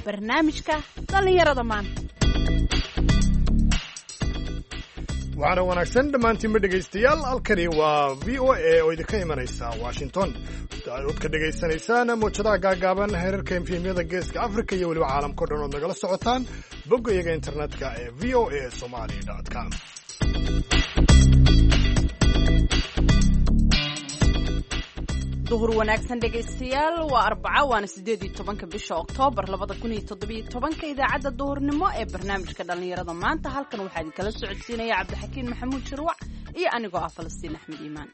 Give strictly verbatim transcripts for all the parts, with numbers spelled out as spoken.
Barnaamijka dhallinyarada maanta. Waxaana wanaagsan dhammaantiinba, dhegaystayaal. Halkani waa V O A oo idinka imanaysa Washington. Ood ka dhegaysanaysaan mowjadaha gaagaaban, heerarka F M-yada Geeska Africa iyo weliba caalamka o dhan ood nagala socotaan bogga iyaga internetka ee V O A Somali com. Duhur wanaagsan, dhegaystayaal. Waa Arbaca, waana sideed iyo tobanka bisha Oktoobar labada kun iyo toddobiyo tobanka. Idaacadda duhurnimo ee barnaamijka dhallinyarada maanta halkan waxaa idinkala socodsiinaya Cabdixakiin Maxamuud Shirwac iyo anigoo ah Falastiin Axmed Iimaan.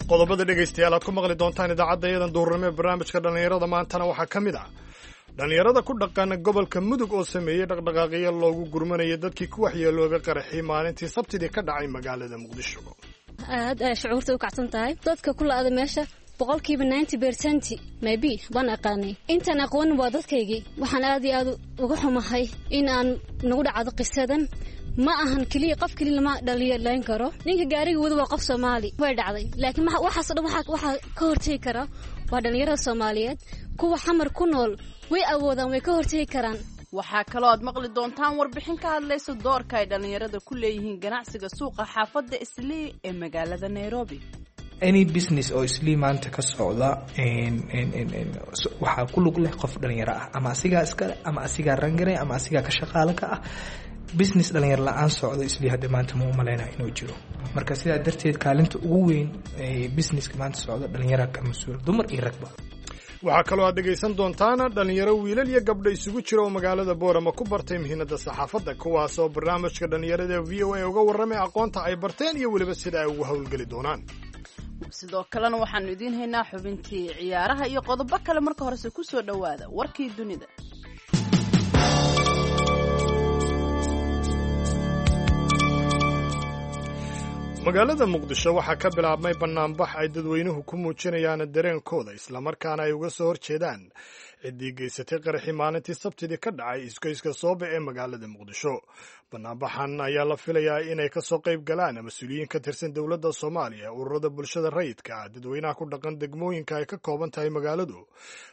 Qodobada, dhegaystayaal, aad ku maqli doontaan idaacadda iyadan duhurnimo ee barnaamijka dhallinyarada maantana waxaa ka mid ah dhallinyarada ku dhaqan gobolka Mudug oo sameeyey dhaqdhaqaaqyo loogu gurmanayay dadkii ku waxyeeloobay qaraxii maalintii Sabtidii ka dhacay magaalada Muqdisho. Aad ay shucuurta u kacsan tahay. Dadka ku la'ada meesha boqolkiiba ninety percent maybe baan aqaanay, intaan aqoonin waa dadkaygii. Waxaan aad iyo aad uga xumahay in aan nagu dhacdo qisadan. Ma ahan keliya qof keliya lama dhalinyalayn karo. Ninka gaariga wada waa qof Soomaali. Way dhacday, laakiin waxaasoo dhan waxaa ka hortegi kara waa dhalinyarada Soomaaliyeed. Kuwa Xamar ku nool way awoodaan, way ka hortegi karaan. Waxaa kaloo aad maqli doontaan warbixin ka hadlaysa doorka ay dhallinyarada ku leeyihiin ganacsiga suuqa xaafadda Islii ee magaalada Nairobi. Any business oo Islii maanta ka socda waxaa ku lug leh qof dhalinyaro ah, ama asigaa iskale, ama asigaa rangaray, ama asigaa ka shaqaalo ka ah. Business dhalinyaro la-aan socdo Islii hadda maanta ma umaleynaya inuu jiro. Marka sidaa darteed kaalinta ugu weyn ee businesska maanta socda dhalinyara ka mas-uul, dumar iyo ragba. Waxaa kaloo aad dhegaysan doontaan dhallinyaro wiilal iyo gabdho isugu jira oo magaalada Boorama ku bartay mihinada saxaafadda, kuwaasoo barnaamijka dhallinyarada V O A uga warramay aqoonta ay barteen iyo weliba sida ay ugu howlgeli doonaan. Sidoo kalena waxaanu idiin haynaa xubintii ciyaaraha iyo qodobo kale. Marka horese ku soo dhowaada warkii dunida. Magaalada Muqdisho waxaa ka bilaabmay bannaanbax ay dadweynuhu ku muujinayaan dareenkooda, islamarkaana ay uga soo horjeedaan ciddii geysatay qaraxii maalintii Sabtidii ka dhacay isgoyska Soobe ee magaalada Muqdisho. Bannaanbaxan ayaa la filayaa inay ka soo qayb galaan mas-uuliyiin ka tirsan dowladda Soomaaliya, ururada bulshada rayidka ah, dadweynaha ku dhaqan degmooyinka ay ka kooban tahay magaaladu.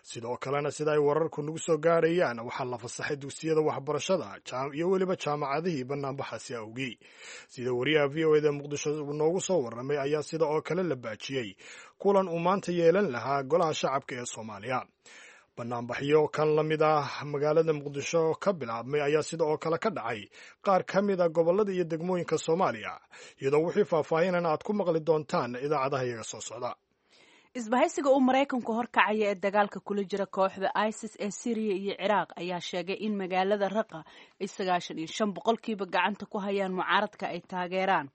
Sidoo kalena, sida ay wararku nagu soo gaarayaan, waxaa la fasaxay dugsiyada waxbarashada iyo weliba jaamacadihii bannaanbaxaasi awgii. Sida wariyaha V O A da Muqdisho noogu soo warramay ayaa sida oo kale la baajiyey kulan uu maanta yeelan lahaa golaha shacabka ee Soomaaliya. Banaanbaxyo kan la mid ah magaalada Muqdisho ka bilaabmay ayaa sida oo kale ka dhacay qaar ka mid a gobollada iyo degmooyinka Soomaaliya, iyadoo wixii faahfaahinan aad ku maqli doontaan idaacadaha iyaga soo socda. Isbahaysiga uu Maraykanku horkacaya ee dagaalka kula jira kooxda ISIS ee Syriya iyo Ciraaq ayaa sheegay in magaalada Raqa ay sagaashan iyo shan boqolkiiba gacanta ku hayaan mucaaradka ay taageeraan,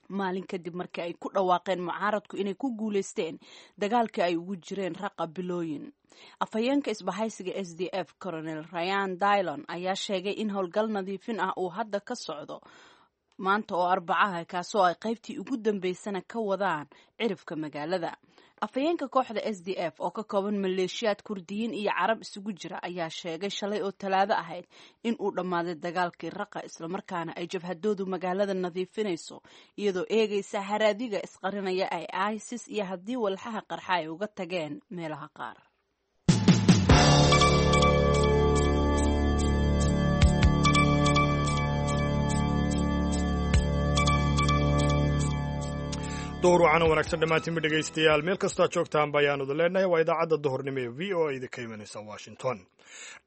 maalin kadib markii ay ku dhawaaqeen mucaaradku inay ku guuleysteen dagaalkii ay ugu jireen Raqa bilooyin. Afhayeenka isbahaysiga S D F, Colonel Ryan Dillon, ayaa sheegay in howlgal nadiifin ah uu hadda ka socdo maanta oo Arbacaha, kaasoo ay qaybtii ugu dambeysana ka wadaan cirifka magaalada. Afhayeenka kooxda S D F oo ka kooban maleeshiyaad Kurdiyiin iyo Carab isugu jira ayaa sheegay shalay oo Talaado ahayd in uu dhammaaday dagaalkii Raqa, islamarkaana ay jabhadoodu magaalada nadiifinayso, iyadoo eegaysa haraadiga isqarinaya ay ISIS iyo haddii walxaha qarxa ay uga tageen meelaha qaar. Duhur wacana wanaagsan dhammaantiinba, dhegaystayaal, meel kastoo aad joogtaan ba ayaanu idin leenahay. Waa idaacadda duhurnimo ee V O A idinka imanaysa Washington.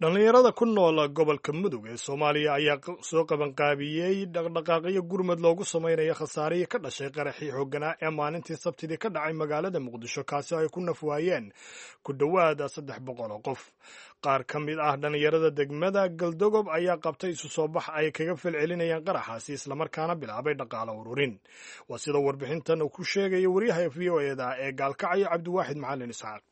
Dhallinyarada ku nool gobolka Mudug ee Soomaaliya ayaa soo qabanqaabiyey dhaqdhaqaaqyo gurmad loogu samaynayo khasaarihii ka dhashay qaraxii xoogganaa ee maalintii Sabtidii ka dhacay magaalada Muqdisho, kaasi ay ku nafwaayeen ku dhowaada saddex boqol oo qof. Qaar ka mid ah dhallinyarada degmada Galdogob ayaa qabtay isu soo bax ay kaga falcelinayaan qaraxaasi, islamarkaana bilaabay dhaqaalo ururin. Waa sida warbixintan uu ku sheegaya wariyaha V O A da ee Gaalkacyo, Cabdiwaaxid Macalin Isxaaq.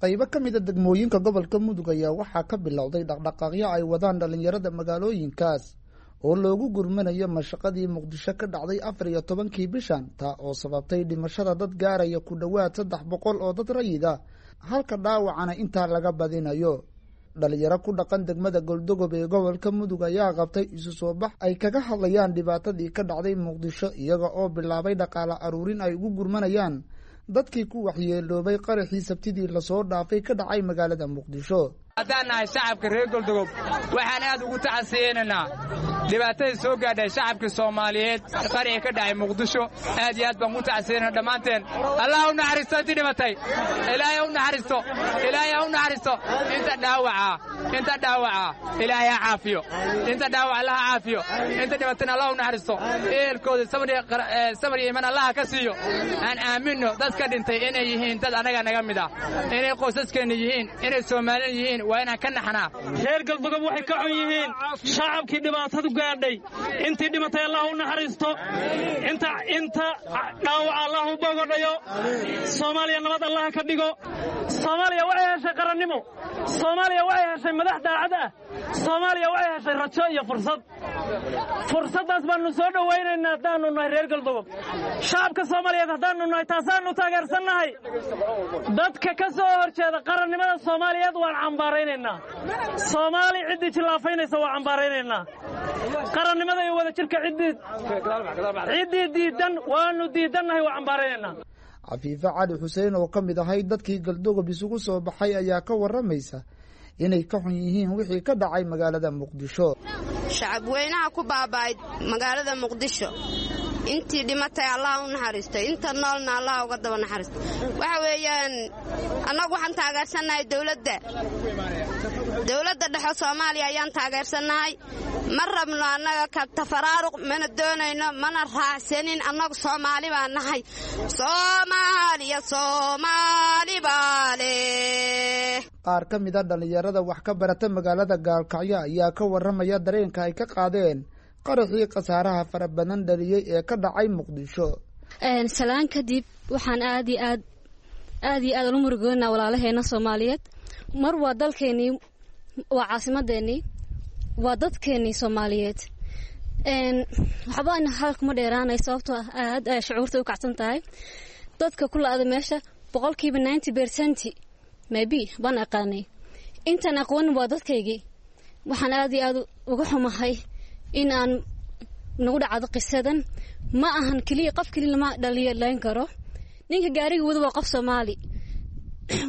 Qaybo ka mida degmooyinka gobolka Mudug ayaa waxaa ka bilowday dhaqdhaqaaqyo ay wadaan dhallinyarada magaalooyinkaas oo loogu gurmanayo mashaqadii Muqdisho ka dhacday afar iyo tobankii bishan, taa oo sababtay dhimashada dad gaaraya ku dhowaad saddex boqol oo dad rayid ah, halka dhaawacana intaa laga badinayo. Dhalinyaro ku dhaqan degmada Goldogob ee gobolka Mudug ayaa qabtay isu soo bax ay kaga hadlayaan dhibaatadii ka dhacday Muqdisho, iyaga oo bilaabay dhaqaale aruurin ay ugu gurmanayaan dadkii ku waxyeeloobay qaraxii Sabtidii lasoo dhaafay ka dhacay magaalada Muqdisho. Haddaan nahay shacabka reer Goldogob, waxaan aad ugu tacasiyeynaynaa dhibaatadii soo gaadhay shacabkii Soomaaliyeed qarixii ka dhacay Muqdisho. Aad iyo aad baan ugu tacasiyeynana dhammaanteen. Allah u naxariisto intii dhimatay, Ilaahay ha u naxariisto, Ilaahay ha u naxariisto. Inta dhaawaca, inta dhaawaca Ilaahay ha caafiyo, inta dhaawaca Allah ha caafiyo, inta dhimatayna Allah u naxariisto, ehelkooda samir iyo iimaan Allah ka siiyo. Aan aaminno dadka dhintay inay yihiin dad annaga naga mid ah, inay qoysaskeenna yihiin, inay Soomaaliyan yihiin. Waa inaan ka naxnaa. Reer Galdogob waxay ka xun yihiin shacabkii dhibaatadu gaadhay. Intii dhimatay Allah u naxariisto, inta inta dhaawaca Allah u bogodhayo, Soomaaliya nabad Allah ka dhigo. Soomaaliya waxay heshay qarannimo, Soomaaliya waxay heshay madax daacad ah, Soomaaliya waxay heshay rajo iyo fursad. Fursaddaas baannu soo dhowaynaynaa haddaannu nahay reer Galdogob. Shacabka Soomaaliyeed haddaannu nahay, taasaannu taageersannahay. Dadka ka soo horjeeda qarannimada Soomaaliyeed waan cambaaraynaynaa. Soomaali ciddii jillaafaynaysa waa cambaaraynaynaa. Qarannimada iyo wadajirka ciddii ciddii diiddan waannu diiddannahay, waa cambaaraynaynaa. Cafiife Cali Xuseen oo ka mid ahay dadkii Galdogob isugu soo baxay ayaa ka waramaysa inay ka xun yihiin wixii ka dhacay magaalada Muqdisho. Shacab weynaha ku baaba'ay magaalada Muqdisho, intii dhimatay Allah u naxariisto, inta noolna Allah uga daba naxariisto. Waxa weeyaan, annagu waxaan taageersannahay dowladda dowladda dhexe Soomaaliya ayaan taageersannahay. Ma rabno annaga ka tafaraaruq, mana doonayno, mana raacsanin. Annagu Soomaali baa nahay. Soomaaliya, Soomaali baa leh. Qaar ka mid a dhallinyarada wax ka barata magaalada Gaalkacyo ayaa ka waramaya dareenka ay ka qaadeen qaraxii khasaaraha fara badan dhaliyey ee ka dhacay Muqdisho. Salaan kadib, waxaan aad iyo aad aad iyo aad ula murugoonaa walaalaheena Soomaaliyeed. Mar waa dalkeenii, waa caasimadeenii, waa dadkeenii Soomaaliyeed. Waxba ina hadalkuma dheeraanay, sababtoo ah aad ay shucuurta u kacsan tahay. Dadka ku la'ada meesha boqolkiiba ninety percent maybe baan aqaanay, intaan aqoonin waa dadkaygii. Waxaan aad iyo aad uga xumahay in aan nagu dhacdo qisadan. Ma ahan keliya qof keliya lama dhaliyo layn karo. Ninka gaariga wada waa qof Soomaali,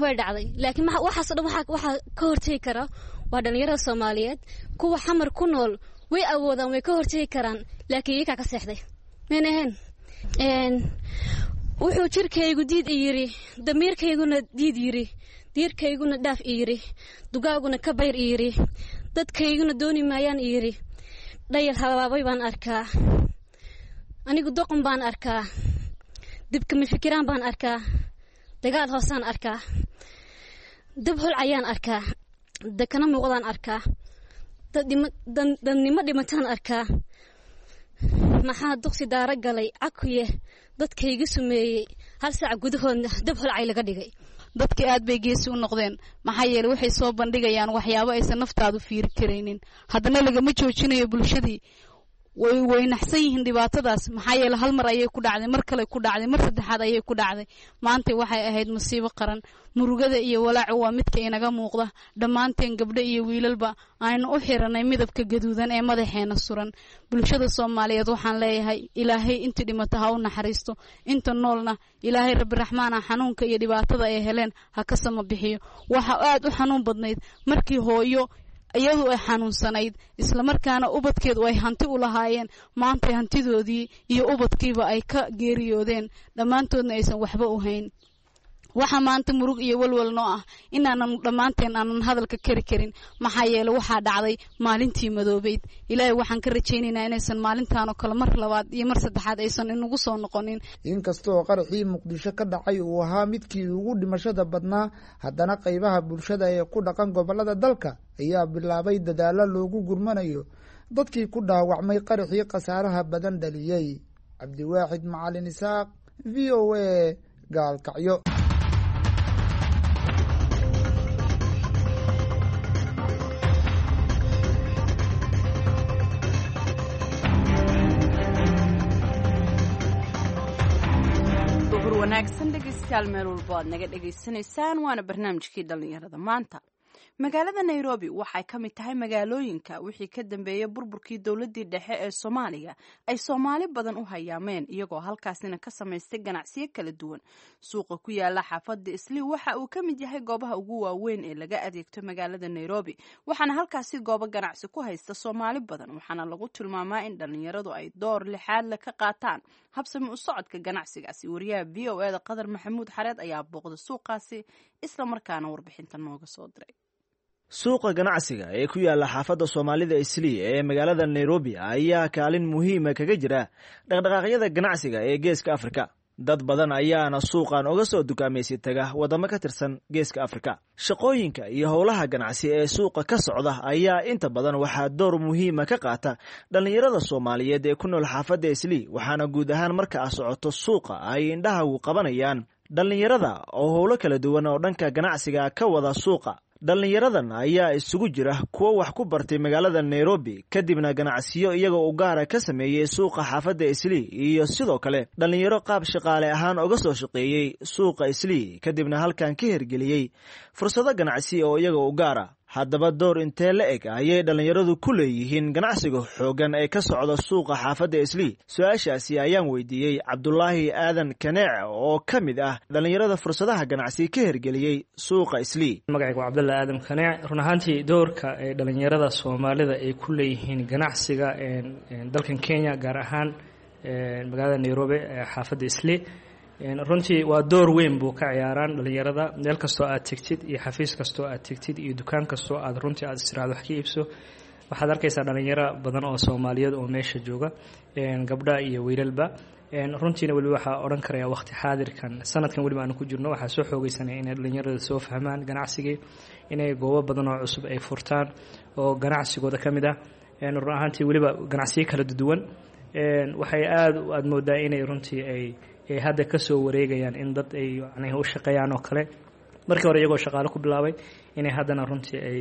way dhacday, laakiin waxaasoo dhan waxaa waxaa ka hortegi kara waa dhalinyarada Soomaaliyeed. Kuwa Xamar ku nool way awoodaan, way ka hortegi karaan, laakiin iyakaa ka seexday, mayna ahayn. Wuxuu jirkaygu diid i yiri, damiirkayguna diid yiri, diirkayguna dhaaf i yiri, dugaaguna ka bayr i yiri, dadkayguna dooni maayaan i yiri. Dhayal habaabay baan arkaa anigu, doqon baan arkaa, dibkama fikiraan baan arkaa, dagaal hoosaan arkaa, dab holcayaan arkaa, dakana muuqdaan arkaa, dadnimo dhimataan arkaa. Maxaa duqsi daaro galay cakuye dadkayga sumeeyey, hal saac gudahoodna dab holcay laga dhigay. Dadka aad bay geesi u noqdeen, maxaa yeele waxay soo bandhigayaan waxyaabo aysan naftaadu fiiri karaynin. Haddana lagama joojinayo. Bulshadii way weynaxsan yihiin dhibaatadaas, maxaa yeele hal mar ayay ku dhacday, mar kale ku dhacday, mar saddexaad ayay ku dhacday. Maanta waxay ahayd musiibo qaran. Murugada iyo walaacu waa midka inaga muuqda dhammaanteen, gabdho iyo wiilalba aynu u xiranay midabka gaduudan ee madaxeena suran. Bulshada Soomaaliyeed waxaan leeyahay, Ilaahay intii dhimata ha u naxariisto, inta noolna Ilaahay Rabbi Raxmaana xanuunka iyo dhibaatada ay heleen ha ka sama bixiyo. Waxa aad u xanuun badnayd markii hooyo iyadu ay xanuunsanayd, islamarkaana ubadkeedu ay hanti u lahaayeen, maantay hantidoodii iyo ubadkiiba ay ka geeriyoodeen, dhammaantoodna aysan waxba u hayn. Waxaa maanta murug iyo walwal noo ah inaanan dhammaanteen aanan hadalka kari karin, maxaa yeele waxaa dhacday maalintii madoobeyd. Ilaahay waxaan ka rajaynaynaa inaysan maalintaan oo kale mar labaad iyo mar saddexaad aysan inagu soo noqonin. Inkastoo qaraxii Muqdisho ka dhacay uu ahaa midkii ugu dhimashada badnaa, haddana qaybaha bulshada ee ku dhaqan gobolada dalka ayaa bilaabay dadaalo loogu gurmanayo dadkii ku dhaawacmay qaraxii khasaaraha badan dhaliyey. Cabdiwaaxid Macalin Isaaq, V O A, Gaalkacyo. Duhur wanaagsan dhegeystayaal, meel walbo aad naga dhegaysanaysaan. Waana barnaamijkii dhallinyarada maanta. Magaalada Nairobi waxay ka mid tahay magaalooyinka wixii ka dambeeyay burburkii dowladdii dhexe ee Soomaaliya ay Soomaali badan u hayaameen, iyagoo halkaasina ka samaystay ganacsiyo kala duwan. Suuqa ku yaala xaafadda Islii waxa uu ka mid yahay goobaha ugu waaweyn ee laga adeegto magaalada Nairobi, waxaana halkaasi goobo ganacsi ku haysta Soomaali badan, waxaana lagu tilmaamaa in dhallinyaradu ay door lixaad le ka qaataan habsami u socodka ganacsigaasi. Wariyaha V O E da Qadar Maxamuud Xareed ayaa booqda suuqaasi islamarkaana warbixinta nooga soo diray. Suuqa ganacsiga ee ku yaala xaafadda Soomaalida Islii ee magaalada Nairobi ayaa kaalin muhiima kaga jira dhaqdhaqaaqyada ganacsiga ee Geeska Afrika. Dad badan ayaana suuqan uga soo dukaamaysi taga waddamo ka tirsan Geeska Afrika. Shaqooyinka iyo howlaha ganacsi ee suuqa ka socda ayaa inta badan waxaa door muhiima ka qaata dhallinyarada Soomaaliyeed ee ku nool xaafadda Islii, waxaana guud ahaan marka a socoto suuqa ay indhahagu qabanayaan dhallinyarada oo howlo kala duwan oo dhanka ganacsiga ka wada suuqa. Dhallinyaradan ayaa isugu jira kuwo wax ku bartay magaalada Nairobi, kadibna ganacsiyo iyagoo u gaara ka sameeyey suuqa xaafadda Islii, iyo sidoo kale dhallinyaro qaab shaqaale ahaan uga soo shaqeeyey suuqa Islii, kadibna halkan ka hirgeliyey fursado ganacsi oo iyaga u gaara. Haddaba door intee la eg ayay dhallinyaradu ku leeyihiin ganacsiga xooggan ee ka socda suuqa xaafadda Islii? Su-aashaasi ayaan weydiiyey Cabdulaahi Aadan Kaneec oo ka mid ah dhallinyarada fursadaha ganacsi ka hirgeliyey suuqa Islii. Magacaygu waa Cabdullaahi Aadan Kaneec. Run ahaantii doorka ee dhallinyarada Soomaalida ay ku leeyihiin ganacsiga dalkan Kenya, gaar ahaan magaalada Nairobi ee xaafadda Islii, runtii waa door weyn buu ka ciyaaraan dhallinyarada. Meel kastoo aad tegtid iyo xafiis kastoo aad tegtid iyo dukaan kastoo aad runtii aad istiraado wax ka iibso, waxaad arkaysaa dhallinyaro badan oo Soomaaliyeed oo meesha jooga, gabdha iyo wiilalba. Runtiina weliba waxaa odhan karaya waqti xaadirkan, sanadkan weliba aanu ku jirno, waxaa soo xoogeysanaya inay dhallinyarada soo fahmaan ganacsigii, inay goobo badan oo cusub ay furtaan oo ganacsigooda ka mid ah. Run ahaantii weliba ganacsiyo kala duwan waxay aada aada moodaa inay runtii ay ay hadda ka soo wareegayaan in dad ay yani u shaqeeyaan oo kale. Markii hore iyagoo shaqaale ku bilaabay, inay haddana runtii ay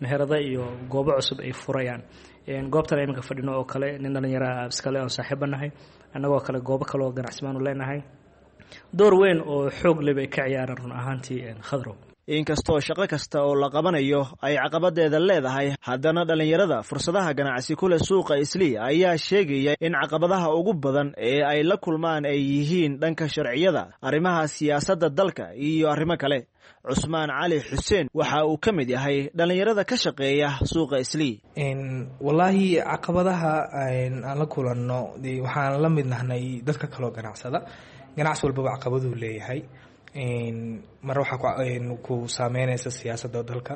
meherado iyo goobo cusub ay furayaan. Goobtan iminka fadhino oo kale nin dhallinyara iskale oon saaxiiba nahay, annagoo kale goobo kale oo ganacsi baanu leenahay. Door weyn oo xoog leh bay ka ciyaaraan run ahaantii, Khadrow. Inkastoo shaqo kasta oo la qabanayo ay caqabadeeda leedahay, haddana dhallinyarada fursadaha ganacsi ku leh suuqa Islii ayaa sheegaya in caqabadaha ugu badan ee ay la kulmaan ay yihiin dhanka sharciyada, arrimaha siyaasadda dalka iyo arrimo kale. Cusmaan Cali Xuseen waxa uu ka mid yahay dhallinyarada ka shaqeeya suuqa Islii. Wallaahi caqabadaha aan la kulanno, waxaan la mid nahnay dadka kaloo ganacsada. Ganacsi walbaba caqabaduu leeyahay. Mar waxaa ku saameynaysa siyaasadda dalka,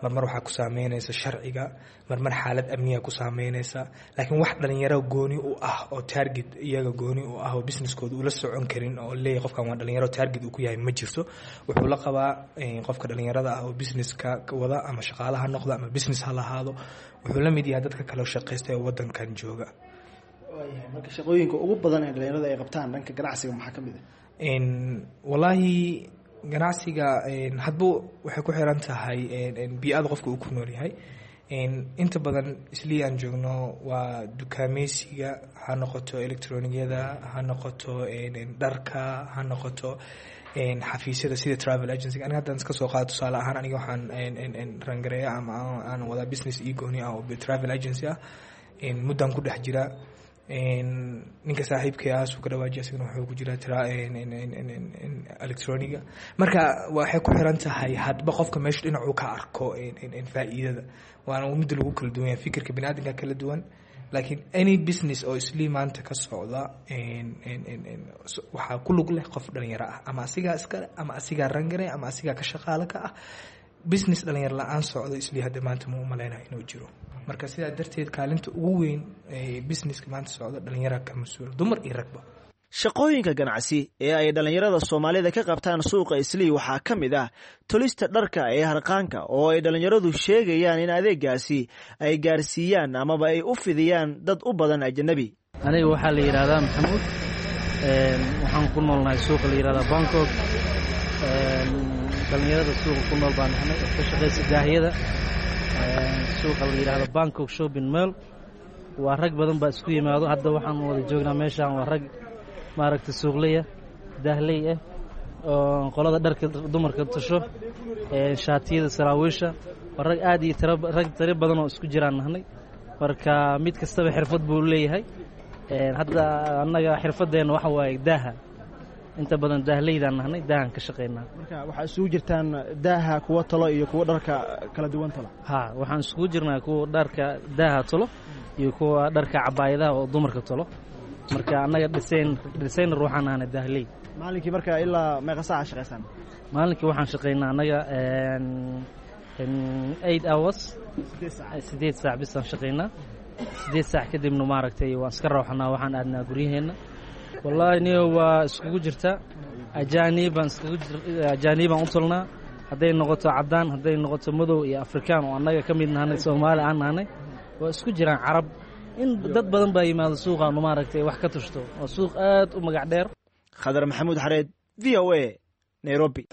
marmar waxaa ku saameynaysa sharciga, marmar xaalad amniga ku saameynaysa. Laakiin wax dhalinyaro gooni u ah oo target iyaga gooni u ah oo businesskooda ula socon karin oo leeyahay qofkan waa dhalinyaro target uu ku yahay ma jirto. Wuxuu la qabaa qofka dhalinyarada ah oo businesska wada, ama shaqaalaha noqda ama business ha lahaado, wuxuu la mid yahay dadka kale shaqaysta ee wadankan jooga. Marka shaqooyinka ugu badan ee dhalinyarada ay qabtaan dhanka ganacsiga maxaa ka mid ah? Wallaahi ganacsiga hadba waxay ku xiran tahay bii-ada qofka uu ku nool yahay. Inta badan Islii aan joogno waa dukaameysiga, ha noqoto electroniyada, ha noqoto dharka, ha noqoto xafiisyada sida travel agency. Aniga haddaan iska soo qaado tusaale ahaan, aniga waxaan rangareeya ama aan wadaa business io gooni ah oo travel agency ah, muddaan ku dhex jira. Ninka saaxiibkay ah suu ka dhawaajiya, isagana wuxuu ku jiraa tira electroniga. Marka waxay ku xiran tahay hadba qofka meesha dhinacuu ka arko faa'iidada, waana midda lagu kala duwan yahay, fikirka bini aadamka kala duwan. Laakiin any business oo Islii maanta ka socda waxaa ku lug leh qof dhalinyaro ah, ama asigaa iskale ama asigaa rangaray ama asigaa ka shaqaale ka ah. Business dhalinyaro la-aan socdo Islii hadda maanta ma u malaynaya inuu jiro. Marka sidaa darteed kaalinta ugu weyn ee businesska maanta socda dhalinyara ka mas-uula, dumar iyo ragba. Shaqooyinka ganacsi ee ay dhallinyarada Soomaalida ka qabtaan suuqa Islii waxaa ka mid ah tolista dharka ee harqaanka, oo ay dhallinyaradu sheegayaan in adeegaasi ay gaarsiiyaan amaba ay u fidiyaan dad u badan ajanabi. Aniga waxaa la yidhahdaa Maxamuud, waxaan ku noolnahay suuqa la yidhahdaa Bangkok. Dhallinyarada suuqa ku nool baan nahnay oo ka shaqaysa daahiyada suuqa la yidhahdo Bangkok Shopping Mall. Waa rag badan baa isku yimaado. Hadda waxaan wada joognaa meeshaan waa rag maaragtay suuqleya, daahley ah. Qolada dharka dumarka tasho, shaatiyada, saraawiisha. Waa rag aad iyo tiro, rag tiro badan oo isku jiraan nahnay. Marka mid kastaba xirfad buu leeyahay. Hadda annaga xirfadeenna waxa waaye daaha, inta badan daahleydaan nahnay, daahan ka shaqaynaa. Marka waxaa isugu jirtaan daaha kuwa talo iyo kuwa dharka kala duwan talo? Ha, waxaan isugu jirnaa kuwa dharka daaha tolo iyo kuwa dharka cabaayadaha oo dumarka tolo. Marka annaga design designer waxaan nahnay daahley. Maalinkii marka ilaa meeqa saaca shaqaysaan? Maalinkii waxaan shaqaynaa annaga eight hours, sideed saac bisaan shaqaynaa. Sideed saac kadibna maaragtay waan iska rawxanaa, waxaan aadnaa guryaheenna. Wallaahi niyo, waa iskugu jirta, ajaanibaan iskugu ajaanibaan u tolnaa, hadday noqoto caddaan, hadday noqoto madow iyo Afrikaan oo annaga ka mid nahanay, Soomaali aan nahanay, waa isku jiraan, Carab, in dad badan baa yimaado suuqaanu maaragtay wax ka tushto. Waa suuq aad u magac dheer. Khadar Maxamuud Xareed, V O A, Nairobi.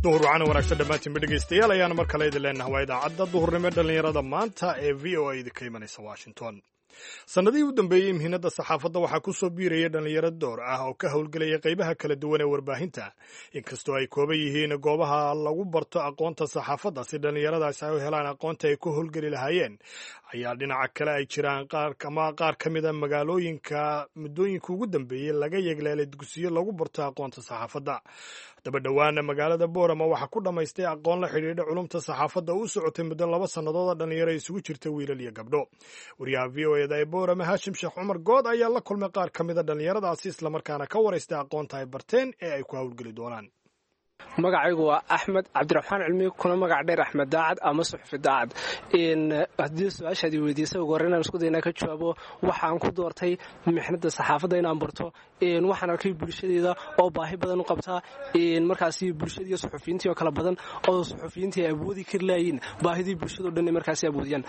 Duhur wacana wanaagsan dhammaantiinba dhegaystayaal ayaana mar kale idin leenaha. Waa idaacadda duhurnimo dhallinyarada maanta ee V O A idinka imanaysa Washington. Sannadihii u dambeeyey mihinada saxaafadda waxaa ku soo biiraya dhallinyaro door ah oo ka howlgelaya qaybaha kala duwan ee warbaahinta, inkastoo ay kooban yihiin goobaha lagu barto aqoonta saxaafadda si dhallinyaradaasi ay u helaan aqoonta ay ku howlgeli lahaayeen. Ayaa dhinaca kale ay jiraan qaar ama qaar ka mid a magaalooyinka muddooyinka ugu dambeeyey laga yegleelay dugsiyo lagu barto aqoonta saxaafadda. Haddaba dhowaana magaalada Boorama waxaa ku dhammaystay aqoon la xidhiidha culumta saxaafadda u socotay muddo laba sannadood oo dhallinyaro isugu jirta wiilal iyo gabdho. Wariyaha V O eda ee Boorama, Haashim Sheekh Cumar Good, ayaa la kulmay qaar ka mida dhallinyaradaasi, islamarkaana ka waraystay aqoonta ay barteen ee ay ku howlgeli doonaan. Magacaygu waa Axmed Cabdiraxmaan Cilmi, kuna magac dheer Axmed Daacad ama Suxufi Daacad. Haddii su-aashaad i weydiisay, ugu horreyn aan isku day inaan ka jawaabo waxaan ku doortay mixnada saxaafadda inaan barto. Waxaan arkay bulshadeeda oo baahi badan u qabtaa markaasi bulshadiiyo suxufiyiintii oo kala badan, oo suxufiyiintii ay awoodi kari laayiin baahidii bulshado dhan markaasi awoodiyaan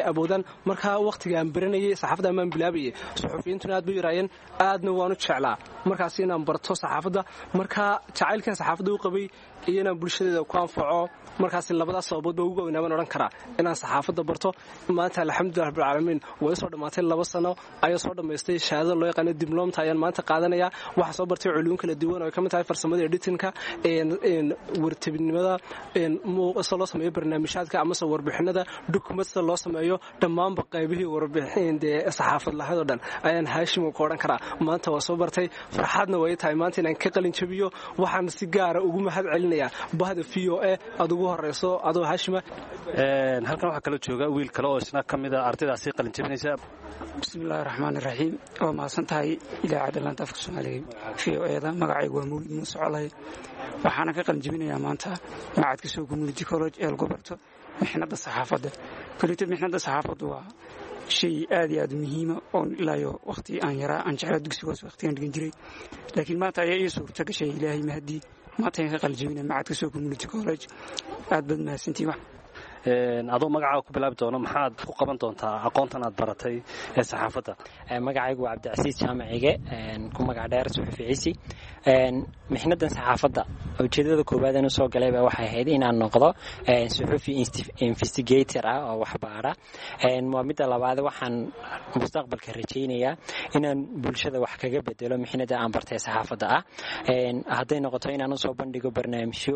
awoodaan. Marka waqtiga aan baranayay saxaafadda amaan bilaabayay, suxufiyiintuna aad bay yaraayeen, aadna waan u jeclaa markaasi inaan barto saxaafadda. Marka jacaylkan saxaafadda u qabay iyo inaan bulshadeeda ku anfaco, markaasi labadaas sababood ba ugu waaweynaa baan odhan karaa inaan saxaafadda barto. Maanta alxamdulilah rabbilcaalamiin way soo dhammaatay, laba sano ayaa soo dhammaystay. Shahaadada loo yaqaano dibloomta ayaan maanta qaadanaya. Waxaa soo bartay culuum kala duwan oo ay ka mid tahay farsamada editinka, wartabinimada, sida loo sameeyo barnaamijyaadka amase warbixinada, dukument sida loo sameeyo, dhammaanba qaybihii warbixin dee saxaafad lahayd oo dhan ayaan Haashim ku odhan karaa maanta waa soo bartay. Farxadna way tahay maanta inaan ka qalin jabiyo. Waxaan si gaara ugu mahad celinayaa bahda V O A aad ugu horeyso adoo Haashima. Halkan waxaa kaloo jooga wiil kale oo isna ka mid a ardaydaasi qalin jabinaysa. Bismillahi raxmaan iraxiim, waa mahadsan tahay idaacadda laanta afka Soomaaliga V O E-da. Magacaygu waa Mawlid Muuse Colay, waxaana ka qalin jabinayaa maanta macadka Sow Community College ee lagu barto mixnadda saxaafadda. Koleyto mixnadda saxaafaddu waa shay aad iyo aad u muhiima oon ilaayo wakhti aan yaraa aan jeclaa, dugsigoos wakhtigaan dhigan jiray, laakiin maanta ayaa ii suurta gashay, Ilaahay mahadii, maanta ayaan ka qalin jabinaya macadka Sow Community College. Aad baad mahadsantihiin. Adoo magacaaga ku bilaabi doono, maxaad ku qaban doontaa aqoontan aad baratay ee saxaafadda? Magacaygu waa Cabdicasiis Jaamacige, ku magac dheer Suxufi Ciisi. Mixnadan saxaafadda ujeedada koowaad aan usoo galayba waxay ahayd inaan noqdo suxufi investigator ah oo waxbaara. Waa midda labaad, waxaan mustaqbalka rajaynayaa inaan bulshada wax kaga bedelo mixnada aan bartay saxaafadda ah, hadday noqoto inaan usoo bandhigo barnaamijyo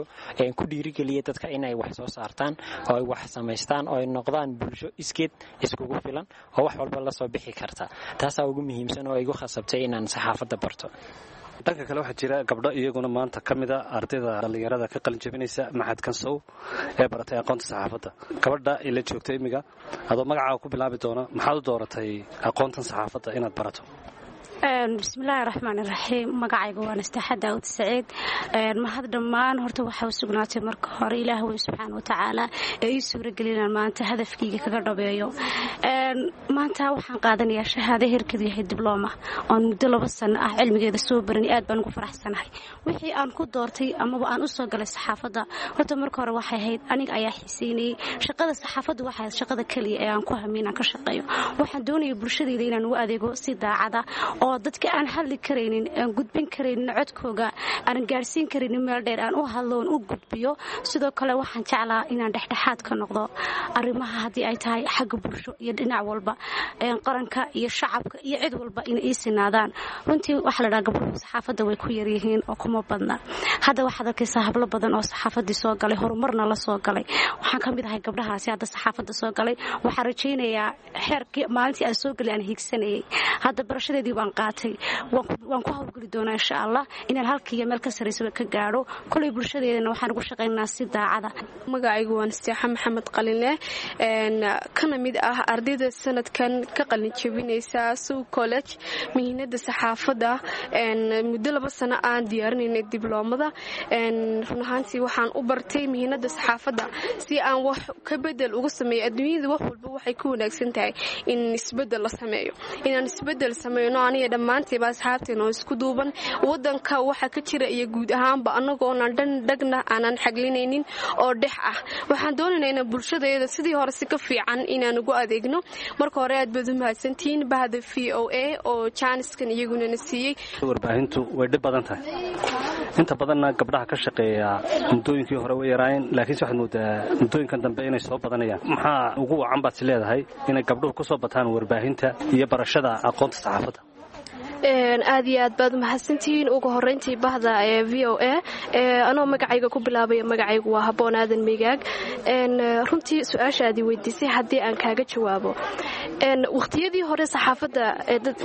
ku dhiirigeliya dadka inay wax soo saartaan oo ay wax samaystaan oo ay noqdaan bulsho iskeed iskugu filan oo wax walba la soo bixi karta. Taasaa ugu muhiimsan oo igu khasabtay inaan saxaafadda barto. Dhanka kale waxaa jira gabdho iyaguna maanta ka mid a ardayda dhallinyarada ka qalin jabinaysa maxadkan Sow ee baratay aqoonta saxaafadda. Gabadha ila joogta imiga, adoo magacaaga ku bilaabi doona, maxaad u dooratay aqoontan saxaafadda inaad barato? Bismillaahi raxmaan iraxiim, magacayga waa Nastaxa Daawud Saciid. Mahad dhammaan horta waxaa u sugnaatay marka hore Ilaah weyn subxaana wa tacaala ee ii suuragelinaan maanta hadafkayga kaga dhabeeyo. Maanta waxaan qaadanayaa shahaado heerkeedu yahay diblooma oon muddo laba sano ah cilmigeeda soo baranay. Aad baan ugu faraxsanahay. Wixii aan ku doortay amaba aan u soo galay saxaafadda horta marka hore waxay ahayd aniga ayaa xiiseynayay shaqada saxaafadda. Waxay ahayd shaqada keliya ee aan ku hamiy inaan ka shaqeeyo. Waxaan doonayay bulshadayda inaan ugu adeego si daacada oo Oo dadka aan hadli karaynin, aan gudbin karaynin codkooga, aanan gaadhsiin karaynin meel dheer, aan u hadlo oon u gudbiyo. Sidoo kale waxaan jeclaa inaan dhexdhexaad ka noqdo arrimaha, haddii ay tahay xagga bulsho iyo dhinac walba, qaranka iyo shacabka iyo cid walba inay ii sinaadaan. Runtii waxaa la dhaha gabdhuhu saxaafadda way ku yaryihiin oo kuma badna. Hadda waxaad arkaysaa hablo badan oo saxaafaddii soo galay, horumarna la soo galay. Waxaan ka mid ahay gabdhahaasi hadda saxaafadda soo galay. Waxaan rajaynayaa xeerkii maalintii aan soo galay aan hiigsanayay. Hadda barashadeedii baan qaatay, waan ku hawlgeli doonaa insha Allah inaan halkiiyo meel ka sarraysaba ka gaadho. Kolay bulshadeedana waxaan ugu shaqaynaynaa si daacada. Magacaygu waan Isteexa Maxamed Qalinleh, kana mid ah ardayda sanadkan ka qalin jebinaysa Sow College mihinada saxaafadda. Muddo laba sano aan diyaarinaynay dibloomada. Run ahaantii waxaan u bartay mihinada saxaafadda si aan wax ka bedel uga sameeyo adduunyada. Wax walba waxay ku wanaagsan tahay in isbedel la sameeyo, inaan isbedel sameyno aniga dhammaantiiba asxaabteena oo isku duuban, wadanka waxa ka jira iyo guud ahaanba, anagoonan dhan dhagna aanan xaglinaynin oo dhex ah. Waxaan doonaynaa inaan bulshadeeda sidii hore si ka fiican inaan ugu adeegno. Marka hore aad baad u mahadsantihiin bahda V O A oo jaaniskan iyaguna na siiyey. Warbaahintu way dhib badan tahay. Inta badanna gabdhaha ka shaqeeya muddooyinkii hore way yaraayeen, laakiinse waxaad moodaa muddooyinkan dambe inay soo badanayaan. Maxaa ugu wacan baad is leedahay inay gabdhuhu ku soo bataan warbaahinta iyo barashada aqoonta saxaafadda? Aad iyo aad baad umahadsantihiin ugu horeyntii bahda ee V O A. Anoo magacayga ku bilaabaya, magacaygu waa Haboon Aadan Migaag. Runtii su-aashaadii weydiisay haddii aan kaaga jawaabo, waqhtiyadii hore saxaafadda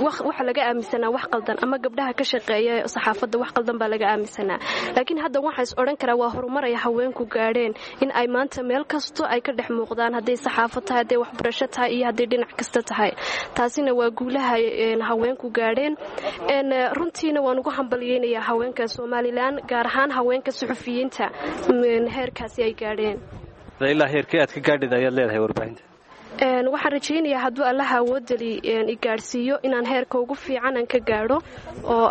waxa laga aaminsanaa wax qaldan, ama gabdhaha ka shaqeeya saxaafadda wax qaldan baa laga aaminsanaa. Laakiin hadda waxaa is odhan karaa waa horumaraya haweenku gaadheen in ay maanta meel kasto ay ka dhex muuqdaan, hadday saxaafad tahay, hadday waxbarasho tahay iyo hadday dhinac kasta tahay. Taasina waa guulaha haweenku gaadheen. Runtiina waan ugu hambalyeynayaa haweenka Somaliland, gaar ahaan haweenka suxufiyiinta, heerkaasi ay gaadheen. Ilaa heerkee aad ka gaadhid ayaad leedahay warbaahinta? Waxaan rajaynayaa hadduu Allaha awoodali i gaadhsiiyo inaan heerka ugu fiican aan ka gaadho oo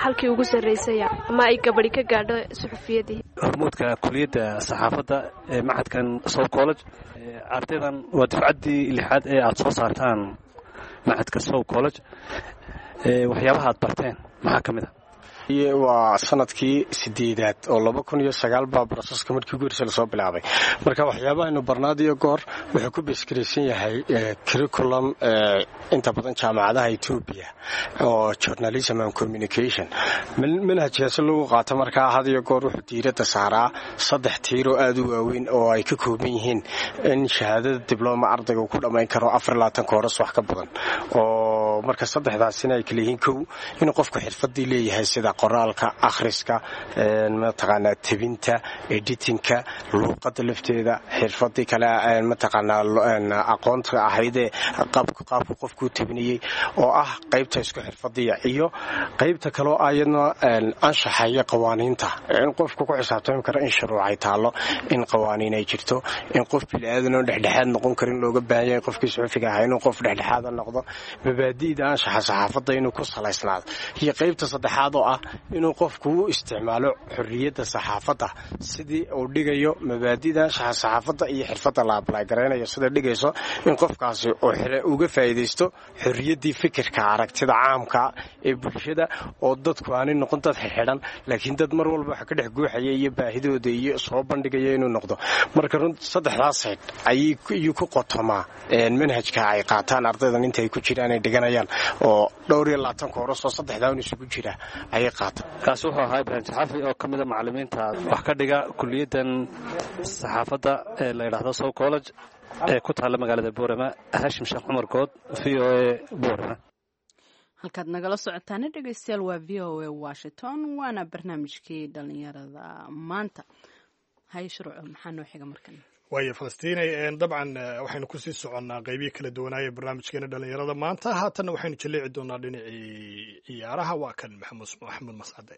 halkii ugu sarraysaya ama ay gabadhi ka gaadho suxufiyadii. Hormuudka kuliyadda saxaafadda ee machadkan Sow College, ardaydan waa dufcaddii lixaad ee aad soo saartaan machadka Sow College. Waxyaabaha aad barteen maxaa ka mid a? Waa sanadkii sideedaad oo laba kun iyo sagaal baa processka markii ugu horreysay lasoo bilaabay. Marka waxyaabahaynu barnaad iyo goor wuxuu ku based-garaysan yahay curriculum inta badan jaamacadaha Etoobiya oo journalism and communication manhajkaasi lagu qaato. Markaa had iyo goor wuxuu diiradda saaraa saddex tiir oo aad u waaweyn oo ay ka kooban yihiin in shahaadada dibloma ardayga uu ku dhammayn karo afar labaatan course wax ka badan, oo marka saddexdaasina ay kala yihiin: kow, inuu qofku xirfadii leeyahay sida qoraalka, akhriska, mataqaanaa tebinta, editingka, luuqadda lafteeda, xirfadii kale mataqaanaa aqoonta ahaydee qaabku qofkuu tebinayey oo ah qaybta isku xirfadiya, iyo qaybta kaloo ayadna anshaxa iyo qawaaniinta, in qofku ku xisaabtami karo in shuruucay taallo, in qawaaniin ay jirto, in qof biniaadan oo dhexdhexaad noqon karin looga baahan yahay qofkii suxufiga ahaa inuu qof dhexdhexaada noqdo, mabaadi'da anshaxa saxaafadda inuu ku salaysnaado, iyo qaybta saddexaad oo ah inuu qofku u isticmaalo xorriyadda saxaafadda sidii uu dhigayo mabaadi'da anshaxa saxaafadda iyo xirfadda la apply-garaynayo sida dhigayso, in qofkaasi uu uga faa'iidaysto xorriyaddii fikirka aragtida caamka ee bulshada, oo dadku aanay noqon dad xidxidhan, laakiin dad mar walba waxa ka dhex guuxaya iyo baahidooda iyo soo bandhigaya inuu noqdo. Marka run saddexdaas sayd ayuu ku qotomaa manhajka ay qaataan ardaydan inta ay ku jiraan ay dhiganayaan, oo dhowr iyo labaatan course oo saddexdaa un isugu jira ayay qaataan. Kaasi wuxuu ahaa Ibraahim Saxafi oo ka mida macallimiinta wax ka dhiga kuliyaddan saxaafadda ee la yidhaahdo Sow College ee ku taalla magaalada Boorama. Haashim Sheekh Cumar Good, V O A, Boorama. Halkaad nagala socotaana, dhegeystayaal, waa V O A Washington, waana barnaamijkii dhalinyarada maanta. Haye Shuruuco, maxaa noo xiga markan? Waayo Falastiinay, dabcan waxaynu kusii soconnaa qeybihii kala duwanaaya barnaamijkeena dhalinyarada maanta. Haatanna waxaynu jaleeci doonaa dhinacii ciyaaraha. Waa kan Maxamuud Maxamuud Mascade.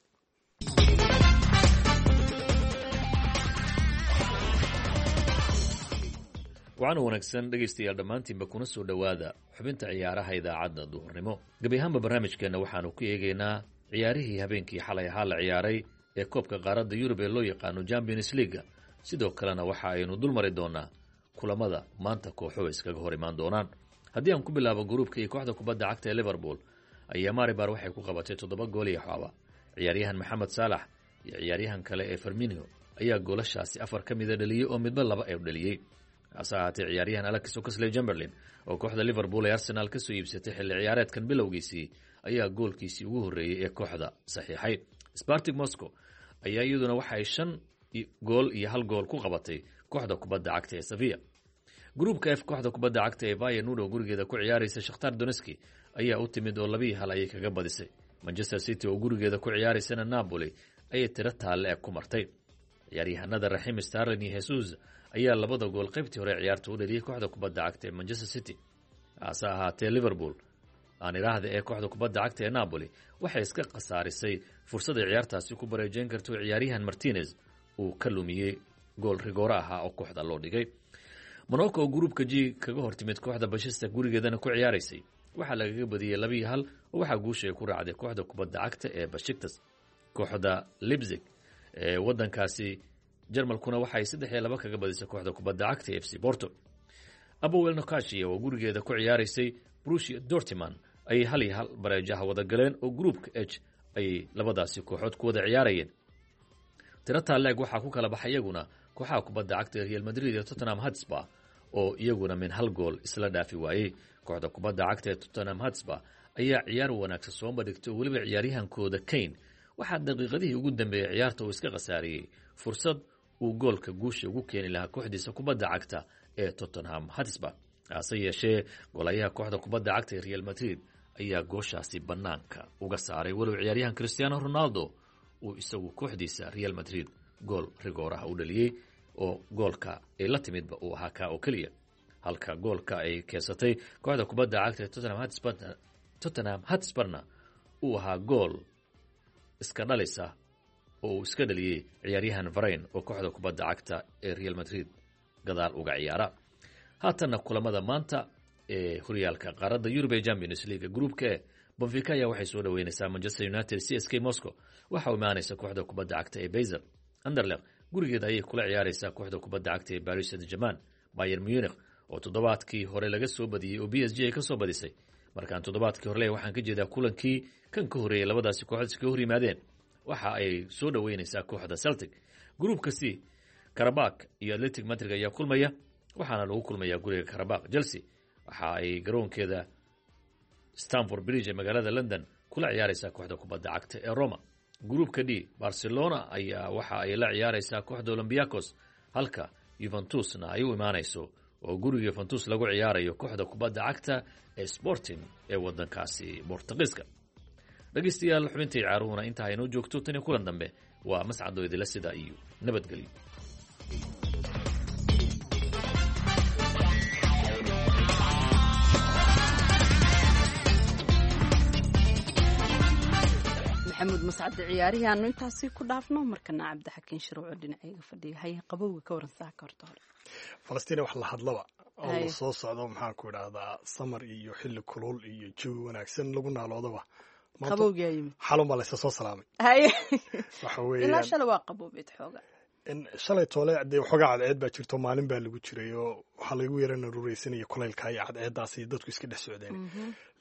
Waxaana wanaagsan, dhegaystayaal, dhammaantiinba kuna soo dhowaada xubinta ciyaaraha idaacadda duhurnimo. Gebi ahaanba barnaamijkeenna waxaanu ku eegaynaa ciyaarihii habeenkii xalay ahaa la ciyaaray ee koobka qaaradda Yurub ee loo yaqaano Champions League. Sidoo kalena waxa aynu dul mari doonaa kulamada maanta kooxuhu iskaga hor imaan doonaan. Haddii aan ku bilaabo gruubka iyo kooxda kubadda cagta ee Liverpool ayaa Maribar waxay ku qabatay toddoba gool iyo xooba. Ciyaaryahan Maxamed Saalax iyo ciyaaryahan kale ee Firmino ayaa goolashaasi afar ka mida dhaliyey oo midba laba ee dhaliyey. Hase ahaatee ciyaaryahan Alex Oxlade-Chamberlain oo kooxda Liverpool ee Arsenal ka soo iibsatay xilli ciyaareedkan bilowgiisii ayaa goolkiisii ugu horreeyey ee kooxda saxiixay. Spartak Moscow ayaa iyaduna waxa ay shan gool iyo hal gool ku qabatay kooxda kubadda cagta ee Sevilla. Gruupka F, kooxda kubadda cagta ee Feyenoord oo gurigeeda ku ciyaaraysa Shakhtar Donetsk ayaa u timid oo laba iyo hal ayay kaga badisay. Manchester City oo gurigeeda ku ciyaaraysana Napoli ayay tiro taalle ku martay. Ciyaaryahanada Raheem Sterling iyo Jesus ayaa labada gool qaybtii hore ciyaarta u dhaliyay kooxda kubadda cagta ee Manchester City. Hase ahaatee Liverpool aan iraahda ee kooxda kubadda cagta ee Napoli waxay iska khasaarisay fursad ay ciyaartaasi ku bareejeyn karto ciyaaryahan Martinez uu ka lumiyey gool rigoore ahaa oo kooxda loo dhigay. Monaco oo gruupka G kaga hortimid kooxda Bashista gurigeedana ku ciyaaraysay waxaa lagaga badiyey laba iyo hal oo waxaa guusha ay ku raacday kooxda kubadda cagta ee Besiktas. Kooxda Leipzig ee wadankaasi Jarmalkuna waxay saddex iyo laba kaga badisay kooxda kubadda cagta ee F C Porto. Apoel Nicosia oo gurigeeda ku ciyaaraysay Borussia Dortmund ayay hal iyo hal bareejaha wada galeen oo gruupka H ayay labadaasi kooxood ku wada ciyaarayeen. Tiro taaleeg waxaa ku kala baxay iyaguna kooxaha kubadda cagta ee Real Madrid iyo Tottenham Hotspur oo iyaguna min hal gool isla dhaafi waayey. Kooxda kubadda cagta ee Tottenham Hotspur ayaa ciyaar wanaagsan soo bandhigtay oo weliba ciyaaryahankooda Kane waxaa daqiiqadihii ugu dambeeyey ciyaarta uu iska khasaariyey fursad uu goolka guusha ugu keeni lahaa kooxdiisa kubadda cagta ee Tottenham Hotspur. Hase yeeshee goolayaha kooxda kubadda cagta ee Real Madrid ayaa gooshaasi bannaanka uga saaray, walow ciyaaryahan Cristiano Ronaldo uu isagu kooxdiisa Real Madrid gool rigooraha u dhaliyey oo goolka ay la timidba uu ahaa kaa oo keliya, halka goolka ay keensatay kooxda kubadda cagta ee Tottenham Hotspur Tottenham Hotspurna uu ahaa gool iska dhalisa oo uu iska dhaliyey ciyaaryahan Varane oo kooxda kubadda cagta ee Real Madrid gadaal uga ciyaara. Haatanna kulamada maanta ee horyaalka qaaradda Yurub ee Champions League, gruupka E, Benfica ayaa waxay soo dhaweynaysaa Manchester United. C S K Moscow waxa uu imaanaysa kooxda kubadda cagta ee Basel. Anderlecht gurigeeda ayay kula ciyaaraysaa kooxda kubadda cagta ee Paris Saint-Germain. Bayern Munich oo toddobaadkii hore laga soo badiyey oo B S G ay ka soo badisay, markaan toddobaadkii hore waxaan ka jeedaa kulankii kan ka horreeyay labadaasi kooxood iskaga hor yimaadeen, waxa ay soo dhaweynaysaa kooxda Celtic. Gruupka C, Karabakh iyo Athletic Madrid ayaa kulmaya, waxaana lagu kulmayaa guriga Karabakh. Chelsea waxa ay garoonkeeda Stamford Bridge ee magaalada London kula ciyaaraysaa kooxda kubadda cagta ee Roma. Gruupka D, Barcelona ayaa waxa ay la ciyaaraysaa kooxda Olympiacos, halka Juventusna ay u imaanayso oo guriga Juventus lagu ciyaarayo kooxda kubadda cagta ee Sporting ee wadankaasi Bortugiiska. Dhegeystayaal, xubintii ciyaaruhuna intaa aynoo joogto. Tan iyo kulan dambe waa mascadoo idila sida iyo nabadgelyo. Maxamuud Mascade ciyaarihii aanu intaasi ku dhaafno. Markana Cabdixakiin Shuruuco dhinacayga fadhiya, haye, qabowga ka waran saaka horta hore? Falastiin wax la hadlaba oo Haye. la soo socdo, maxaan ku idhahdaa, samar iyo xilli kulul iyo jawi wanaagsan lagu naaloodaba. Maanta- Qabowgaa yimid. Xalun baa laysa soo salaamay. Haye. Waxa ilaa weeyaan shalay waa qaboobeed xooga. In shalay toole dee waxoogaa cadceed baa jirto, maalin baa lagu jiray oo waxaa lagu yara narureysanaya kulaylka iyo cadceeddaas iyo dadku iska dhex socdeen,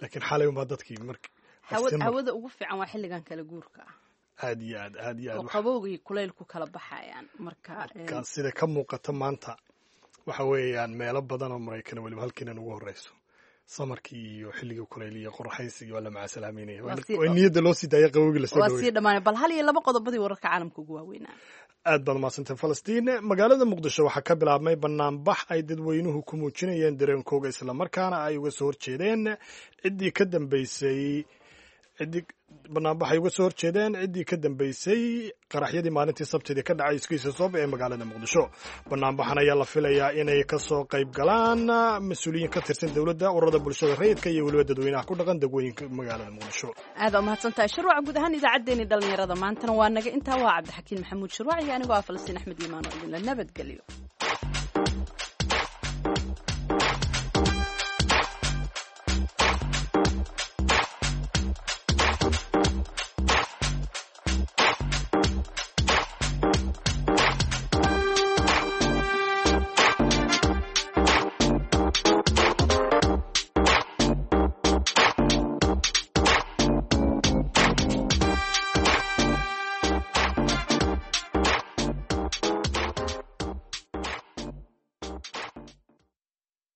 laakiin xalay unbaa dadkii mark Hawa- September- hawada ugu fiican waa xilligan kala guurka ah aad iyo aad, aad iyo aad. oo wax- qabowga iyo kulaylku kala baxayaan marka ka sida ka muuqata maanta waxa weeyaan meelo badan oo Maraykan weliba halkiinan ugu horeyso samarkii iyo xilligii kulayl iyo qoraxaysigii waa la macasalaameynaya. Waa sii- Waa niyadda loo sii daaya qabowgii lasoo waa dhaweeyay. sii dhammaanay. Bal hal iyo laba qodobadii wararka caalamka ugu waaweynaa. Aad baad mahadsantahay, Falastiin. Magaalada Muqdisho waxaa ka bilaabmay banaanbax ay dadweynuhu ku muujinayeen dareenkooga islamarkaana ay uga soo horjeedeen ciddii ka dambeysay ciddii banaanbax ay uga soo horjeedeen ciddii ka dambeysay qaraxyadii maalintii Sabtidii ka dhacay iskiisa sooba ee magaalada Muqdisho. Banaanbaxan ayaa la filayaa inay ka soo qayb galaan mas-uuliyiin ka tirsan dowladda, ururada bulshada rayidka iyo weliba dadweynaha ku dhaqan degwooyinka magaalada Muqdisho. Aad aa umahadsantahay, Shirwac. Guud ahaan idaacaddeenii dhallinyarada maantana waa naga intaa. Waa Cabdixakiin Maxamuud Shirwac iyo anigoo ah Falastiin Axmed Iimaan oo idinla nabadgeliyo.